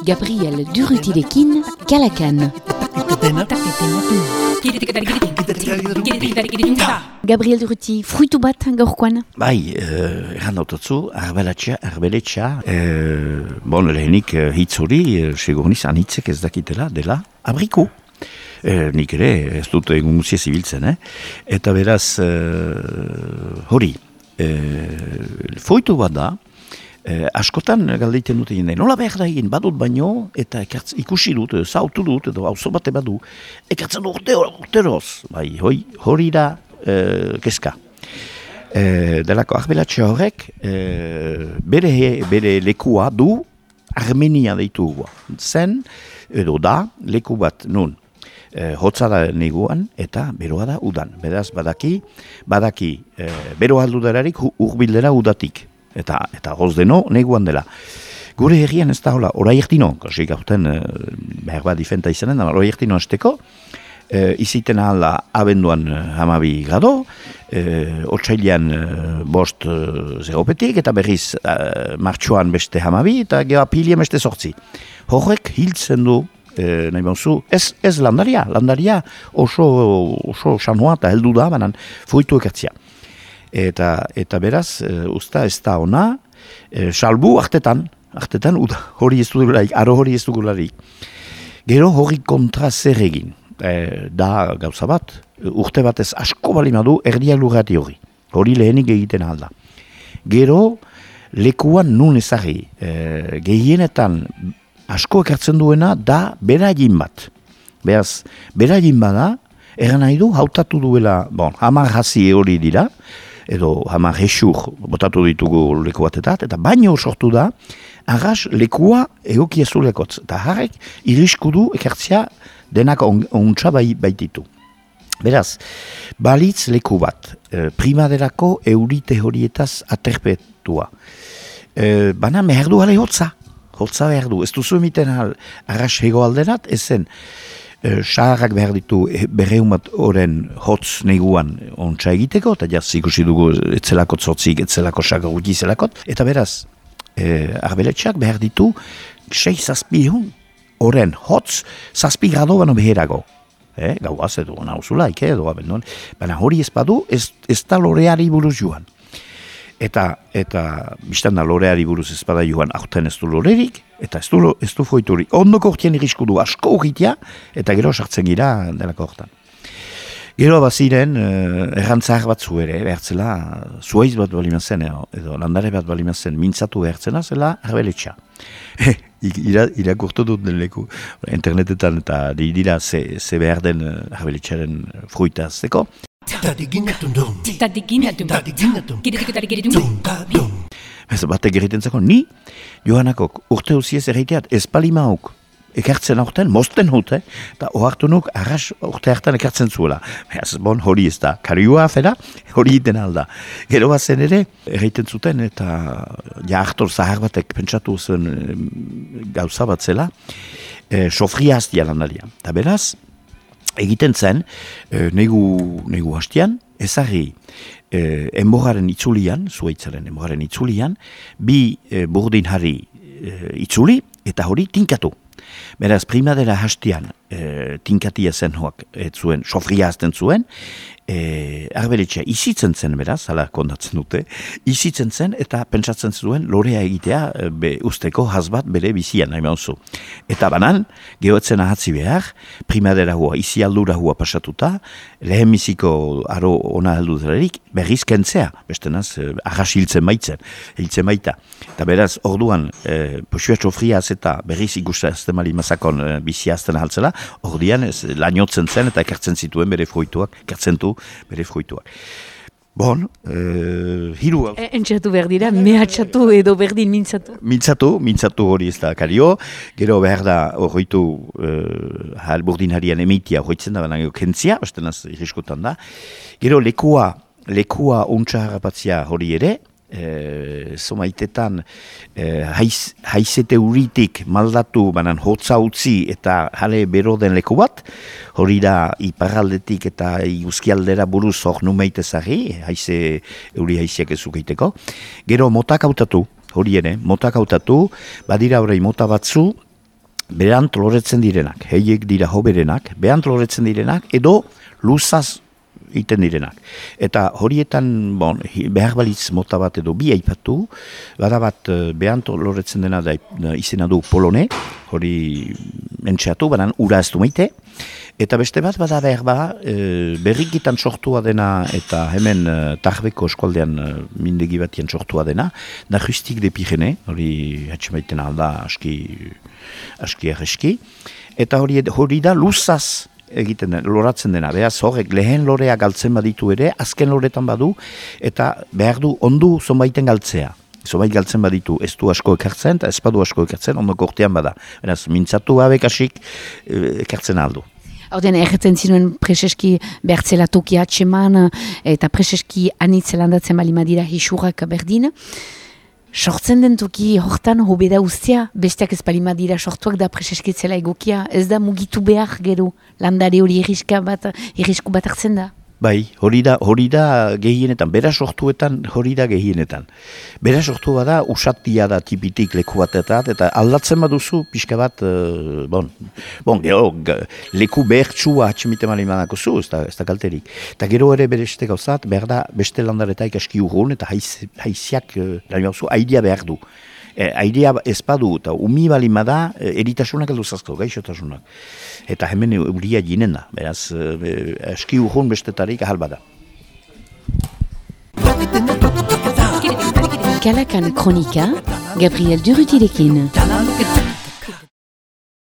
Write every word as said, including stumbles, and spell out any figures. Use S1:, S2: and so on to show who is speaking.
S1: Gabriel Durrutirekin, Kalakan. Gabriel Durruti, fruitu bat gaurkoan?
S2: Bai, uh, erran dautatzu, arbelatxa, arbeletxa, uh, bon, lehenik uh, hitz hori, uh, segur niz, anitzek ez dakitela, dela, abriku. Uh, nik ere, ez dut egun guzia zibiltzen, eh? Eta beraz, uh, hori, uh, fruitu bat da, Eh, askotan galdeiten dute jende, nola behar da egin, badut baino, eta ekartz, ikusi dut, zautu dut, edo auzo bate badu, ekartzen urte, urteroz, bai, hoi, hori da eh, keska. Eh, delako arbelatxe horrek, eh, bere, bere lekua du, Armenia deitu gua. Zen, edo da, leku bat, nun, eh, hotza da neguan, eta beroa da udan. Beraz, badaki, badaki, eh, beroa aldudararik urbildera udatik. Eta, eta goz deno, neguan dela. Gure herrian ez da hola, orai ertino, kasi gauten, e, behar bat difenta izanen, orai ertino azteko, e, iziten ahala abenduan hamabi grado, e, otsailean e, bost e, zeropetik, eta berriz e, martxoan beste hamabi, eta geho apilien beste sortzi. Horrek hiltzen du, e, nahi bauzu, ez, ez landaria, landaria oso, oso sanoa eta heldu da, banan fruitu ekartzia. Eta, eta beraz, e, usta ez da ona, e, salbu artetan, artetan, uda, hori ez dugularik, aro hori ez dugularik. Gero hori kontra zer egin, e, da gauza bat, urte batez asko balimadu erdiak lurrati hori, hori lehenik egiten alda. Gero, lekuan nun ezagri, e, gehienetan asko ekartzen duena da beragin bat. Beraz, beragin bada, eran nahi du, hautatu duela, bon, hamar hasi hori dira, edo hamar hesur botatu ditugu leku batetat, eta baino sortu da, arras lekua egokiezu lekotz. Eta harrek irisku du ekartzia denak ontsa bai, baititu. Beraz, balitz leku bat, e, primaderako eurite horietaz aterpetua. E, bana behar du gale hotza, hotza behar du. Ez duzu emiten arras hego alderat, ezen, saharrak behar ditu berreumat oren hotz neguan ontsa egiteko, eta jaz ikusi dugu etzelakot zortzik, etzelako sakar guti zelakot, eta beraz, e, arbeletxak behar ditu sei zazpihun oren hotz zazpi grado bano beherago. E, gauaz edo nauzulaik, edo abendon, baina hori ez badu, ez, ez da loreari buruz joan. Eta, eta biztan da loreari buruz ez bada joan, aurten ez du lorerik, eta ez du, ez du foiturik. Ondoko hortien irisku du asko horritia, eta gero sartzen gira delako hortan. Gero baziren, eh, errantzahar bat zu ere, behartzela, zuaiz bat balimazen, edo, edo landare bat balimazen, mintzatu behartzena, zela arbeletxa. Ira, irakurtu dut den leku, internetetan, eta dira ze, ze behar den arbeletxaren fruita azteko. Batek egiten zako, ni Johanakok urte usiez erreiteat ez palimauk ekartzen aurten, mosten hute, eta ohartu nuk arras urte hartan ekartzen zuela. Beaz, bon, hori ez da, karioa afera, hori iten alda. Gero bazen ere, erreiten zuten, eta ja hartor zahar batek pentsatu zen gauza bat zela, e, sofria hastia landaria. Eta beraz, egiten zen, e, negu, negu hastian, ezagri e, enboraren itzulian, zuaitzaren enboraren itzulian, bi e, burdin harri e, itzuli, eta hori tinkatu. Beraz, primadera hastian e, tinkatia zen hoak, ez zuen, sofria hasten zuen, e, arbeletxea izitzen zen beraz, hala kondatzen dute, izitzen zen eta pentsatzen zuen lorea egitea be, usteko hasbat bere bizian, nahi mauzu. Eta banan, gehoetzen ahatzi behar, primadera hua, izi aldura hua pasatuta, lehen biziko aro ona heldu delarik, berriz kentzea, bestenaz, arras hiltzen baitzen, hiltzen baita. Eta beraz, orduan, e, posua sofria eta berriz ikusta azten mali mazakon e, bizia azten ahaltzela, orduan, ez, lainotzen zen eta ekartzen zituen bere fruituak, ekartzen du bere fruituak. Bon, uh, hiru...
S1: E, entxatu behar dira, mehatxatu edo berdin mintzatu?
S2: Mintzatu, mintzatu hori ez da kario. Gero behar da horretu uh, halburdin harian emeitia horretzen da, baina kentzia, ostenaz irriskotan da. Gero lekua, lekua ontsa harrapatzia hori ere, E, zomaitetan e, haiz, haizete uritik maldatu banan hotza utzi eta jale bero den leku bat, hori da iparraldetik eta iguzkialdera buruz hor numeitezari, haize euri haiziak ezukeiteko. Gero motak hautatu, hori ere, motak hautatu, badira horrei mota batzu, berant loretzen direnak, heiek dira hoberenak, berant loretzen direnak, edo luzaz iten direnak. Eta horietan, bon, behar balitz mota bat edo bi aipatu, bada bat behant loretzen dena da izena du polone, hori entxeatu, banan ura ez du meite, eta beste bat bada behar ba, e, berrikitan sortua dena, eta hemen e, Tarbeko eskualdean e, mindegi batien sortua dena, da justik de Pirene, hori hatxemaiten alda aski, aski erreski, eta hori, hori da luzaz, egiten den, loratzen dena, behaz horrek lehen lorea galtzen baditu ere, azken loretan badu, eta behar du ondu zonbaiten galtzea. Zonbait galtzen baditu ez du asko ekartzen, eta ez badu asko ekartzen, ondo kortean bada. Beraz, mintzatu abekasik ekartzen aldu.
S1: Horten, erretzen zinuen preseski bertzela toki atseman, eta preseski anitzelandatzen bali madira hisurak berdin. Sortzen den toki hortan hobeda ustea, besteak ez palima dira sortuak da preseskitzela egokia, ez da mugitu behar gero, landare hori irriska bat, irrisku bat hartzen da.
S2: Bai, hori da, hori da gehienetan, bera sortuetan hori da gehienetan. Bera sortu bada usatia da tipitik leku batetat, eta aldatzen baduzu pixka bat, uh, bon, bon, gero, leku behertsua hatxemite mali manako zu, ez da, ez da kalterik. Eta gero ere beste gauzat, behar da beste landaretaik aski urrun, eta haiz, haiziak, uh, lani bauzu, airea behar du. E, airea ez badu, eta umi balima da, eritasunak edo zazko, gaixotasunak. Eta hemen euria jinen da, beraz, e, aski urrun bestetarik ahal bada.
S1: Kalakan Kronika, Gabriel Durrutirekin.